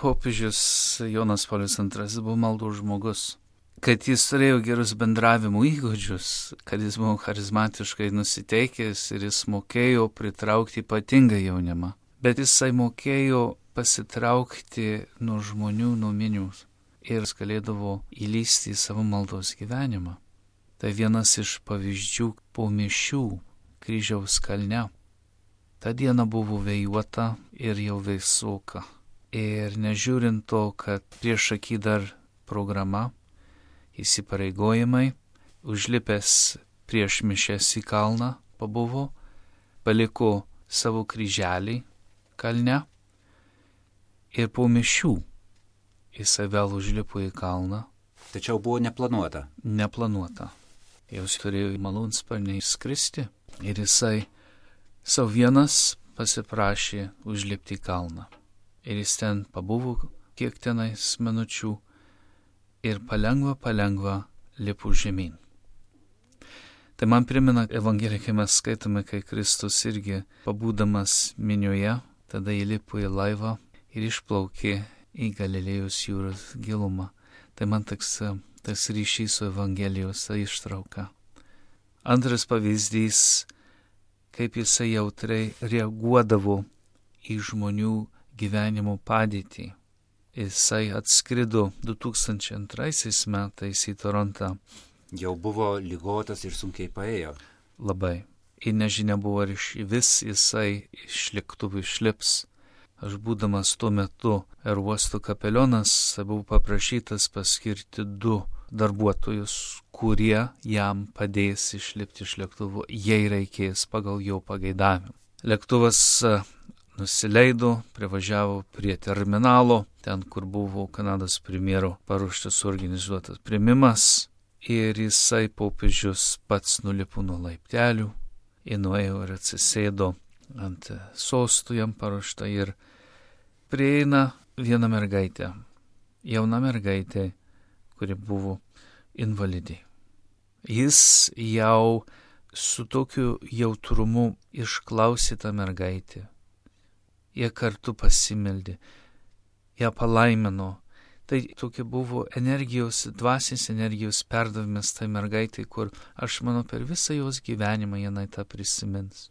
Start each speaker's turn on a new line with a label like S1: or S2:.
S1: popiežius Jonas Paulius II buvo maldų žmogus, kad jis turėjo gerus bendravimo įgūdžius, kad jis buvo charizmatiškai nusiteikęs ir jis mokėjo pritraukti ypatingą jaunimą. Bet jisai mokėjo pasitraukti nuo žmonių, nuo minių ir jis galėdavo įlysti į savo maldos gyvenimą. Tai vienas iš pavyzdžių po mišių kryžiaus kalne. Ta diena buvo vėjuota ir jau vėsoka. Ir nežiūrint to, kad prieš akį dar programa, įsipareigojimai, užlipęs prieš mišes į kalną pabuvo, paliko savo kryželį kalne ir po mišių jisai vėl užlipo į kalną.
S2: Tačiau buvo neplanuota.
S1: Neplanuota. Jūs turėjo malūnsparnį skristi ir jisai savo vienas pasiprašė užlipti į kalną. Ir jis ten pabuvo kiek tenais minučių ir palengva lipo žemyn. Tai man primena Evangeliją, kai mes skaitome, kai Kristus irgi pabūdamas minioje, tada įlipo į laivą ir išplaukė į Galilėjos jūros gilumą. Tai man tas ryšys su Evangelijos ištrauka. Antras pavyzdys, kaip jisai jautriai reaguodavo į žmonių gyvenimo padėtį. Jisai atskrido 2002 metais į Torontą.
S2: Jau buvo ligotas ir sunkiai paėjo.
S1: Labai. Ir nežinia buvo, ar vis jisai iš lėktuvų išlips. Aš būdamas tuo metu aerouosto kapelionas, buvau paprašytas paskirti 2 darbuotojus, kurie jam padės išlipti iš lėktuvo, jei reikės pagal jo pageidavimą. Lėktuvas nusileido, privažiavo prie terminalo, ten, kur buvo Kanados premjero paruoštas suorganizuotas priėmimas, ir jisai popiežius pats nulipo nuo laiptelių, ir nuėjo ir atsisėdo ant sostų jam paruoštą ir prieina viena mergaitė, jauna mergaitė, kuri buvo invalidė. Jis jau su tokiu jautrumu išklausė tą mergaitę. Jie kartu pasimeldė, ją palaimino. Tai tokia buvo energijos, dvasinės energijos perdavimas tai mergaitai, kur aš manau per visą jos gyvenimą jinai tą prisimins.